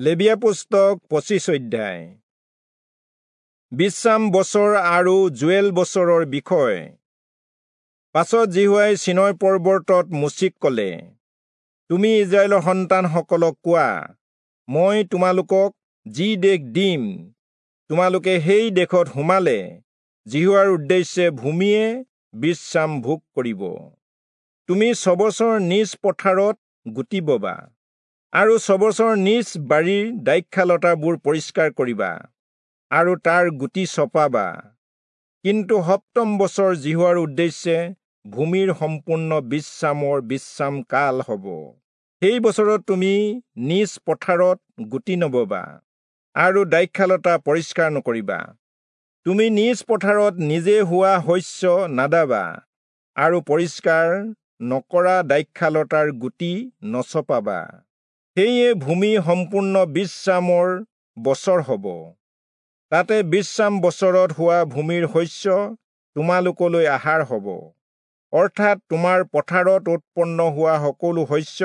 লেবীয়া পুস্তক 25 অধ্যায়। বিশ্ৰাম বছৰ আৰু জুৱেল বছৰৰ বিষয়। পাছত যিহোৱাই চীনয় পৰ্বতত মোচিক ক'লে, তুমি ইস্ৰায়েলৰ সন্তানসকলক কোৱা, মই তোমালোকক যি দেশ দিম, তোমালোকে সেই দেশত সোমালে যিহোৱাৰ উদ্দেশ্যে ভূমিয়ে বিশ্ৰাম ভোগ কৰিব। তুমি ছবছৰ নিজ পথাৰত গুটি ববা আৰু ছবছৰ নিজ বাৰীৰ দ্ৰাক্ষালতাবোৰ পৰিষ্কাৰ কৰিবা আৰু তাৰ গুটি চপাবা। কিন্তু সপ্তম বছৰ যিহোৱাৰ উদ্দেশ্যে ভূমিৰ সম্পূৰ্ণ বিশ্ৰামৰ বিশ্ৰাম কাল হ'ব। সেই বছৰত তুমি নিজ পথাৰত গুটি নববা আৰু দ্ৰাক্ষালতা পৰিষ্কাৰ নকৰিবা। তুমি নিজ পথাৰত নিজে হোৱা শস্য নাদাবা আৰু পৰিষ্কাৰ নকৰা দ্ৰাক্ষালতাৰ গুটি নচপাবা। সেয়ে ভূমি সম্পূৰ্ণ বিশ্ৰামৰ বছৰ হ'ব। তাতে বিশ্ৰাম বছৰত হোৱা ভূমিৰ শস্য তোমালোকলৈ আহাৰ হ'ব, অৰ্থাৎ তোমাৰ পথাৰত উৎপন্ন হোৱা সকলো শস্য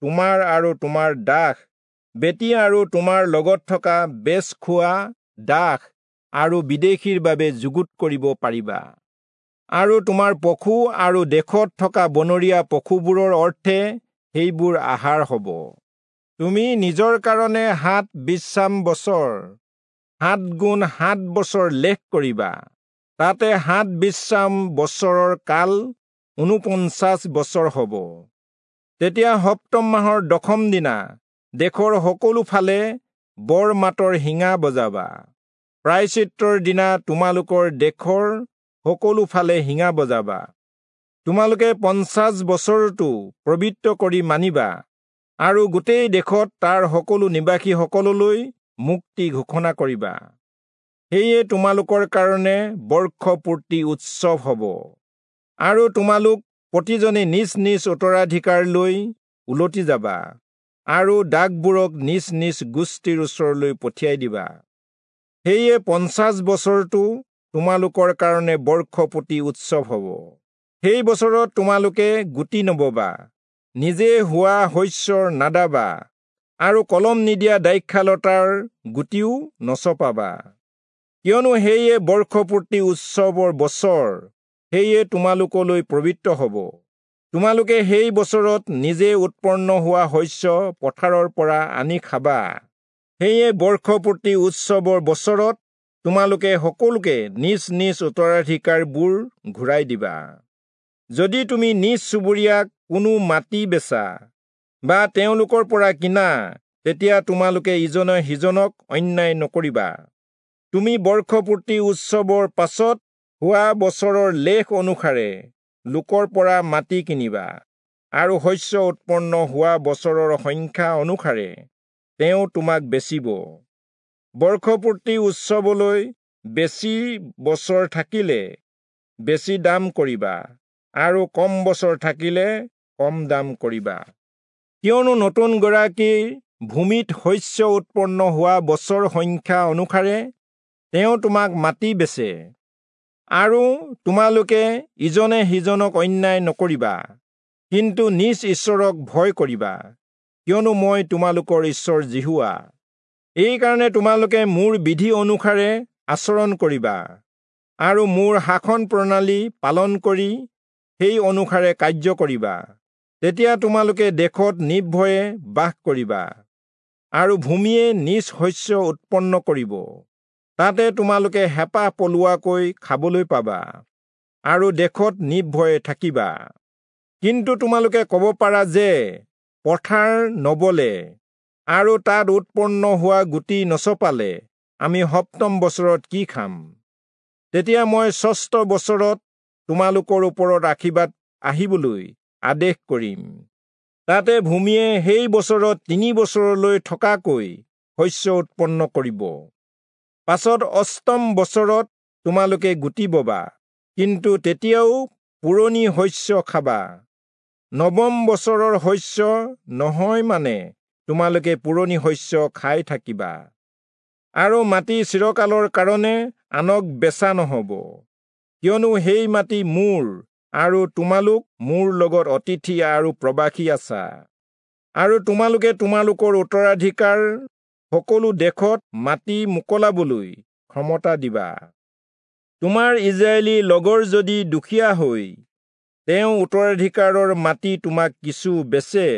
তোমাৰ আৰু তোমাৰ দাস বেটী আৰু তোমাৰ লগত থকা বেচ খোৱা দাস আৰু বিদেশীৰ বাবে যুগুত কৰিব পাৰিবা। আৰু তোমাৰ পশু আৰু দেশত থকা বনৰীয়া পশুবোৰৰ অৰ্থে সেইবোৰ আহাৰ হ'ব। তুমি নিজৰ কাৰণে 7 বিশ্ৰাম বছৰ 7 গুণ 7 বছৰ লেখ কৰিবা। তাতে 7 বিশ্ৰাম বছৰৰ কাল 49 বছৰ হ'ব। তেতিয়া সপ্তম মাহৰ দশম দিনা দেশৰ সকলো ফালে বৰ মাতৰ শিঙা বজাবা। প্ৰায়শ্চিত্তৰ দিনা তোমালোকৰ দেশৰ সকলো ফালে শিঙা বজাবা। তোমালোকে 50 বছৰটো পবিত্ৰ কৰি মানিবা আৰু গোটেই দেশত তাৰ সকলো নিবাসীসকললৈ মুক্তি ঘোষণা কৰিবা। সেয়ে তোমালোকৰ কাৰণে বৰ্ষপূৰ্তি উৎসৱ হ'ব আৰু তোমালোক প্ৰতিজনে নিজ নিজ উত্তৰাধিকাৰ লৈ উলটি যাবা আৰু দাগবোৰক নিজ নিজ গোষ্ঠীৰ ওচৰলৈ পঠিয়াই দিবা। সেয়ে 50 বছৰটো তোমালোকৰ কাৰণে বৰ্ষপূৰ্তি উৎসৱ হ'ব। সেই বছৰত তোমালোকে গুটি নববা, নিজে হোৱা শস্যৰ নাদাবা আৰু কলম নিদিয়া দ্ৰাক্ষালতাৰ গুটিও নচপাবা। কিয়নো সেয়ে বৰ্ষপূৰ্তি উৎসৱৰ বছৰ, সেয়ে তোমালোকলৈ পবিত্ৰ হ'ব। তোমালোকে সেই বছৰত নিজে উৎপন্ন হোৱা শস্য পথাৰৰ পৰা আনি খাবা। সেয়ে বৰ্ষপূৰ্তি উৎসৱৰ বছৰত তোমালোকে সকলোকে নিজ নিজ উত্তৰাধিকাৰবোৰ ঘূৰাই দিবা। যদি তুমি নিজ চুবুৰীয়াক কোনো মাটি বেচা বা তেওঁলোকৰ পৰা কিনা, তেতিয়া তোমালোকে ইজনে সিজনক অন্যায় নকৰিবা। তুমি বৰ্ষপূৰ্তি উৎসৱৰ পাছত হোৱা বছৰৰ লেখ অনুসাৰে লোকৰ পৰা মাটি কিনিবা আৰু শস্য উৎপন্ন হোৱা বছৰৰ সংখ্যা অনুসাৰে তেওঁ তোমাক বেচিব। বৰ্ষপূৰ্তি উৎসৱলৈ বেছি বছৰ থাকিলে বেছি দাম কৰিবা আৰু কম বছৰ থাকিলে কম দাম কৰিবা। কিয়নো নতুন গৰাকীৰ ভূমিত শস্য উৎপন্ন হোৱা বছৰ সংখ্যা অনুসাৰে তেওঁ তোমাক মাটি বেচে। আৰু তোমালোকে ইজনে সিজনক অন্যায় নকৰিবা, কিন্তু নিজ ঈশ্বৰক ভয় কৰিবা, কিয়নো মই তোমালোকৰ ঈশ্বৰ যিহোৱা। এইকাৰণে তোমালোকে মোৰ বিধি অনুসাৰে আচৰণ কৰিবা আৰু মোৰ শাসন প্ৰণালী পালন কৰি সেই অনুসাৰে কাৰ্য কৰিবা। তেতিয়া তোমালোকে দেশত নিৰ্ভয়ে বাস কৰিবা আৰু ভূমিয়ে নিজ শস্য উৎপন্ন কৰিব। তাতে তোমালোকে হেঁপাহ পলোৱাকৈ খাবলৈ পাবা আৰু দেশত নিৰ্ভয়ে থাকিবা। কিন্তু তোমালোকে ক'ব পাৰা যে পথাৰ নবলে আৰু তাত উৎপন্ন হোৱা গুটি নচপালে আমি সপ্তম বছৰত কি খাম? তেতিয়া মই ষষ্ঠ বছৰত তোমালোকৰ ওপৰত আশীৰ্বাদ আহিবলৈ আদেশ কৰিম। তাতে ভূমিয়ে সেই বছৰত 3 বছৰলৈ থকাকৈ শস্য উৎপন্ন কৰিব। পাছত অষ্টম বছৰত তোমালোকে গুটি ববা, কিন্তু তেতিয়াও পুৰণি শস্য খাবা। নৱম বছৰৰ শস্য নহয় মানে তোমালোকে পুৰণি শস্য খাই থাকিবা। আৰু মাটি চিৰকালৰ কাৰণে আনক বেচা নহ'ব, কিয়নো সেই মাটি মোৰ আৰু তোমালোক মোৰ লগত অতিথি আৰু প্ৰবাসী আছা। আৰু তোমালোকে তোমালোকৰ উত্তৰাধিকাৰ সকলো দেশত মাটি মোকলাবলৈ ক্ষমতা দিবা। তোমাৰ ইজৰাইলী লগৰ যদি দুখীয়া হৈ তেওঁ উত্তৰাধিকাৰৰ মাটি তোমাক কিছু বেচে,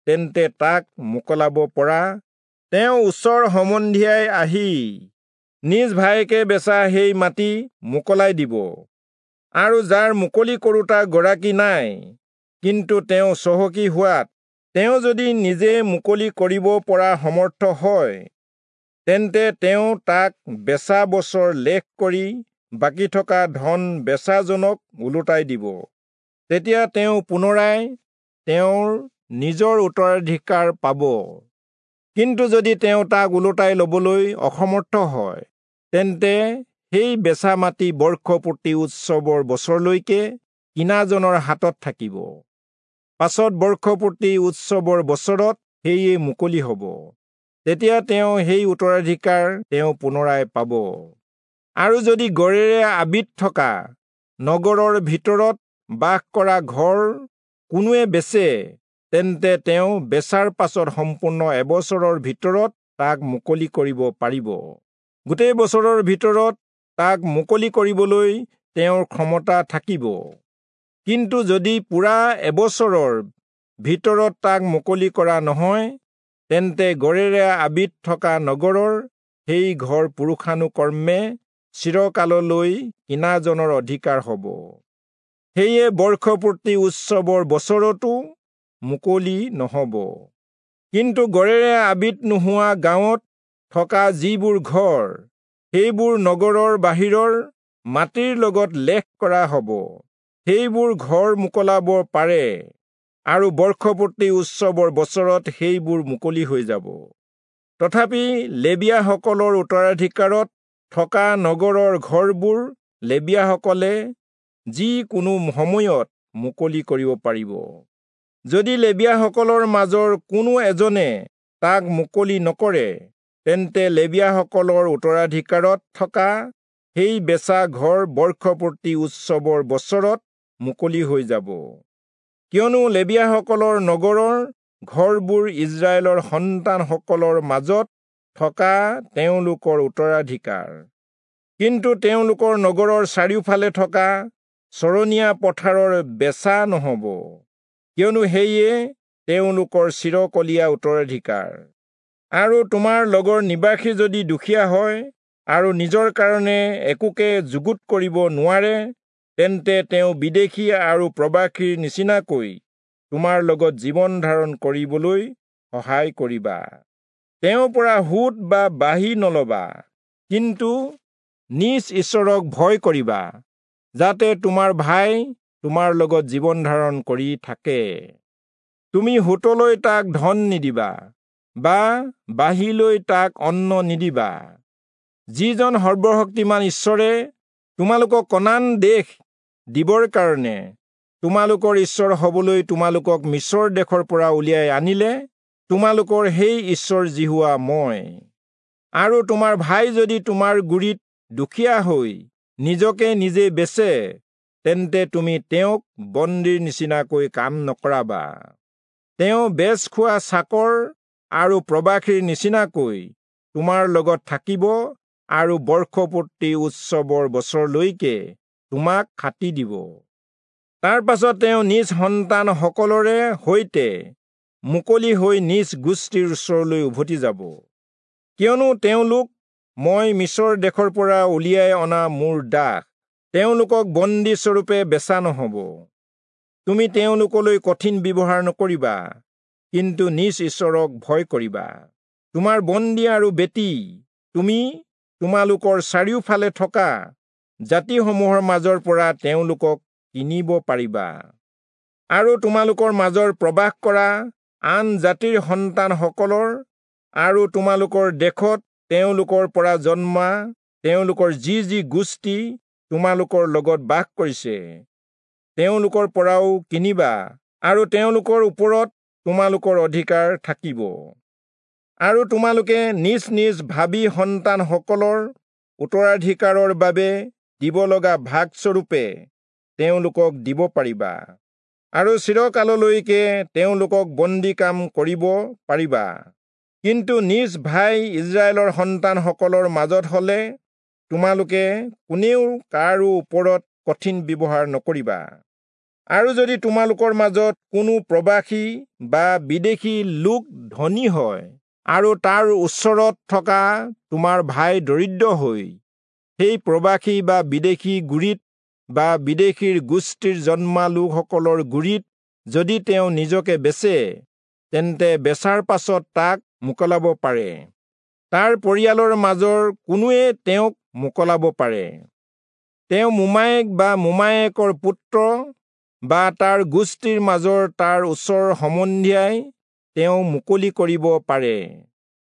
তেন্তে তাক মোকলাব পৰা তেওঁ ওচৰ সম্বন্ধীয়াই আহি নিজ ভায়েকে বেচা সেই মাটি মোকলাই দিব। আৰু যাৰ মুকলি কৰোঁতা গৰাকী নাই, কিন্তু তেওঁ চহকী হোৱাত তেওঁ যদি নিজে মুকলি কৰিব পৰা সমৰ্থ হয়, তেন্তে তেওঁ তাক বেচা বছৰ লেখ কৰি বাকী থকা ধন বেচাজনক ওলোটাই দিব। তেতিয়া তেওঁ পুনৰাই তেওঁৰ নিজৰ উত্তৰাধিকাৰ পাব। কিন্তু যদি তেওঁ তাক ওলোটাই ল'বলৈ অসমৰ্থ হয়, তেন্তে সেই বেচা মাটি বৰ্ষপূৰ্তি উৎসৱৰ বছৰলৈকে কিনাজনৰ হাতত থাকিব। পাছত বৰ্ষপূৰ্তি উৎসৱৰ বছৰত সেয়ে মুকলি হ'ব। তেতিয়া তেওঁ সেই উত্তৰাধিকাৰ তেওঁ পুনৰাই পাব। আৰু যদি গড়েৰে আবিত থকা নগৰৰ ভিতৰত বাস কৰা ঘৰ কোনোৱে বেচে, তেন্তে তেওঁ বেচাৰ পাছত সম্পূৰ্ণ এবছৰৰ ভিতৰত তাক মুকলি কৰিব পাৰিব। গোটেই বছৰৰ ভিতৰত তাক মুকলি কৰিবলৈ তেওঁৰ ক্ষমতা থাকিব। কিন্তু যদি পূৰা এবছৰৰ ভিতৰত তাক মুকলি কৰা নহয়, তেন্তে গড়েৰে আবিত থকা নগৰৰ সেই ঘৰ পুৰুষানুকৰ্মে চিৰকাললৈ কিনাজনৰ অধিকাৰ হ'ব। সেয়ে বৰ্ষপূৰ্তি উৎসৱৰ বছৰতো মুকলি নহ'ব। কিন্তু গড়েৰে আবিত নোহোৱা গাঁৱত থকা যিবোৰ ঘৰ, সেইবোৰ নগৰৰ বাহিৰৰ মাটিৰ লগত লেখ কৰা হ'ব। সেইবোৰ ঘৰ মোকলাব পাৰে আৰু বৰ্ষপূৰ্তি উৎসৱৰ বছৰত সেইবোৰ মুকলি হৈ যাব। তথাপি লেবীয়াসকলৰ উত্তৰাধিকাৰত থকা নগৰৰ ঘৰবোৰ লেবীয়াসকলে যিকোনো সময়ত মুকলি কৰিব পাৰিব। যদি লেবীয়াসকলৰ মাজৰ কোনো এজনে তাক মুকলি নকৰে, তেন্তে লেবীয়াসকলৰ উত্তৰাধিকাৰত থকা সেই বেচা ঘৰ বৰ্ষপূৰ্তি উৎসৱৰ বছৰত মুকলি হৈ যাব। কিয়নো লেবীয়াসকলৰ নগৰৰ ঘৰবোৰ ইজৰাইলৰ সন্তানসকলৰ মাজত থকা তেওঁলোকৰ উত্তৰাধিকাৰ। কিন্তু তেওঁলোকৰ নগৰৰ চাৰিওফালে থকা চৰণীয়া পথাৰৰ বেচা নহ'ব, কিয়নো সেয়ে তেওঁলোকৰ চিৰকলীয়া উত্তৰাধিকাৰ। আৰু তোমাৰ লগৰ নিবাসী যদি দুখীয়া হয় আৰু নিজৰ কাৰণে একোকে যুগুত কৰিব নোৱাৰে, তেন্তে তেওঁ বিদেশী আৰু প্ৰবাসীৰ নিচিনাকৈ তোমাৰ লগত জীৱন ধাৰণ কৰিবলৈ সহায় কৰিবা। তেওঁৰ পৰা সুত বা বাহী নলবা, কিন্তু নিজ ঈশ্বৰক ভয় কৰিবা, যাতে তোমাৰ ভাই তোমাৰ লগত জীৱন ধাৰণ কৰি থাকে। তুমি সুতলৈ তাক ধন নিদিবা বা বাহীলৈ তাক অন্ন নিদিবা। যিজন সৰ্বশক্তিমান ঈশ্বৰে তোমালোকক কনান দেশ দিবৰ কাৰণে তোমালোকৰ ঈশ্বৰ হবলৈ তোমালোকক মিছৰ দেশৰ পৰা উলিয়াই আনিলে, তোমালোকৰ সেই ঈশ্বৰ যিহোৱা মই। আৰু তোমাৰ ভাই যদি তোমাৰ গুৰিত দুখীয়া হৈ নিজকে নিজে বেচে, তেন্তে তুমি তেওঁক বন্দীৰ নিচিনাকৈ কাম নকৰাবা। তেওঁ বেচ খোৱা চাকৰ আৰু প্ৰবাসীৰ নিচিনাকৈ তোমাৰ লগত থাকিব আৰু বৰ্ষপূৰ্তি উৎসৱৰ বছৰলৈকে তোমাক খাটি দিব। তাৰ পাছত তেওঁ নিজ সন্তানসকলৰে সৈতে মুকলি হৈ নিজ গোষ্ঠীৰ ওচৰলৈ উভতি যাব, কিয়নো তেওঁলোক মই মিছৰ দেশৰ পৰা উলিয়াই অনা মোৰ দাস। তেওঁলোকক বন্দীস্বৰূপে বেচা নহ'ব। তুমি তেওঁলোকলৈ কঠিন ব্যৱহাৰ নকৰিবা, কিন্তু নিজ ঈশ্বৰক ভয় কৰিবা। তোমাৰ বন্দী আৰু বেটী তুমি তোমালোকৰ চাৰিওফালে থকা জাতিসমূহৰ মাজৰ পৰা তেওঁলোকক কিনিব পাৰিবা। আৰু তোমালোকৰ মাজৰ প্ৰবাস কৰা আন জাতিৰ সন্তানসকলৰ আৰু তোমালোকৰ দেশত তেওঁলোকৰ পৰা জন্মা তেওঁলোকৰ যি যি গোষ্ঠী তোমালোকৰ লগত বাস কৰিছে, তেওঁলোকৰ পৰাও কিনিবা আৰু তেওঁলোকৰ ওপৰত তোমালোকৰ অধিকাৰ থাকিব। আৰু তোমালোকে নিজ নিজ ভাবী সন্তানসকলৰ উত্তৰাধিকাৰৰ বাবে দিব লগা ভাগস্বৰূপে তেওঁলোকক দিব পাৰিবা। আৰু চিৰকাললৈকে তেওঁলোকক বন্দী কাম কৰিব পাৰিবা। কিন্তু নিজ ভাই ইস্ৰায়েলৰ সন্তানসকলৰ মাজত হলে তোমালোকে কোনেও কাৰো ওপৰত কঠিন ব্যৱহাৰ নকৰিবা। আৰু যদি তোমালোকৰ মাজত কোনো প্ৰবাসী বা বিদেশী লোক ধনী হয় আৰু তাৰ ওচৰত থকা তোমাৰ ভাই দৰিদ্ৰ হৈ সেই প্ৰবাসী বা বিদেশী গুৰিত বা বিদেশীৰ গোষ্ঠীৰ জন্মা লোকসকলৰ গুৰিত যদি তেওঁ নিজকে বেচে, তেন্তে বেচাৰ পাছত তাক মোকলাব পাৰে। তাৰ পৰিয়ালৰ মাজৰ কোনোৱে তেওঁক মোকলাব পাৰে। তেওঁ মোমায়েক বা মোমায়েকৰ পুত্ৰ বা তাৰ গোষ্ঠীৰ মাজৰ তাৰ ওচৰ সম্বন্ধীয়াই তেওঁ মুকলি কৰিব পাৰে।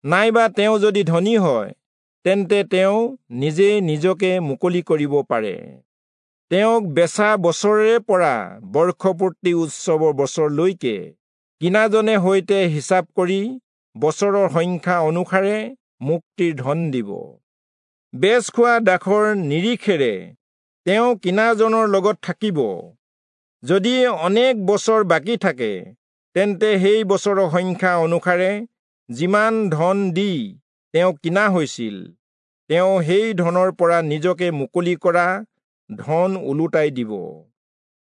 নাইবা তেওঁ যদি ধনী হয়, তেন্তে তেওঁ নিজে নিজকে মুকলি কৰিব পাৰে। তেওঁক বেচা বছৰৰে পৰা বৰ্ষপূৰ্তি উৎসৱৰ বছৰলৈকে কিনাজনে সৈতে হিচাপ কৰি বছৰৰ সংখ্যা অনুসাৰে মুক্তিৰ ধন দিব। বেচ খোৱা দাসৰ নিৰিখেৰে তেওঁ কিনাজনৰ লগত থাকিব। যদি অনেক বছৰ বাকী থাকে, তেন্তে সেই বছৰৰ সংখ্যা অনুসাৰে যিমান ধন দি তেওঁ কিনা হৈছিল, তেওঁ সেই ধনৰ পৰা নিজকে মুকলি কৰা ধন ওলোটাই দিব।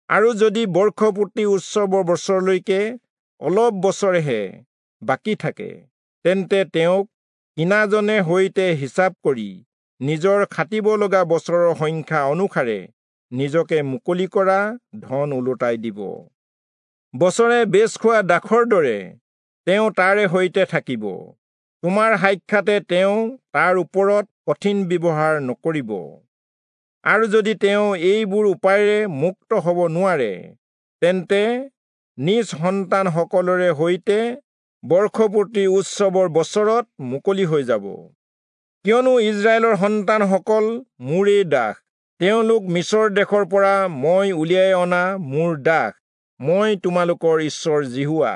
আৰু যদি বৰ্ষপূৰ্তি উৎসৱৰ বছৰলৈকে অলপ বছৰহে বাকী থাকে, তেন্তে তেওঁক কিনাজনে সৈতে হিচাপ কৰি নিজৰ খাটিব লগা বছৰৰ সংখ্যা অনুসাৰে নিজকে মুকলি কৰা ধন ওলোটাই দিব। বছৰে বেচ খোৱা দাসৰ দৰে তেওঁ তাৰে সৈতে থাকিব। তোমাৰ সাক্ষাতে তেওঁ তাৰ ওপৰত কঠিন ব্যৱহাৰ নকৰিব। আৰু যদি তেওঁ এইবোৰ উপায়েৰে মুক্ত হ'ব নোৱাৰে, তেন্তে নিজ সন্তানসকলৰে সৈতে বৰ্ষপূৰ্তি উৎসৱৰ বছৰত মুকলি হৈ যাব। কিয়নো ইস্ৰায়েলৰ সন্তানসকল মোৰেই দাস, তেওঁলোক মিচৰ দেশৰ পৰা মই উলিয়াই অনা মোৰ দাস। মই তোমালোকৰ ঈশ্বৰ যিহোৱা।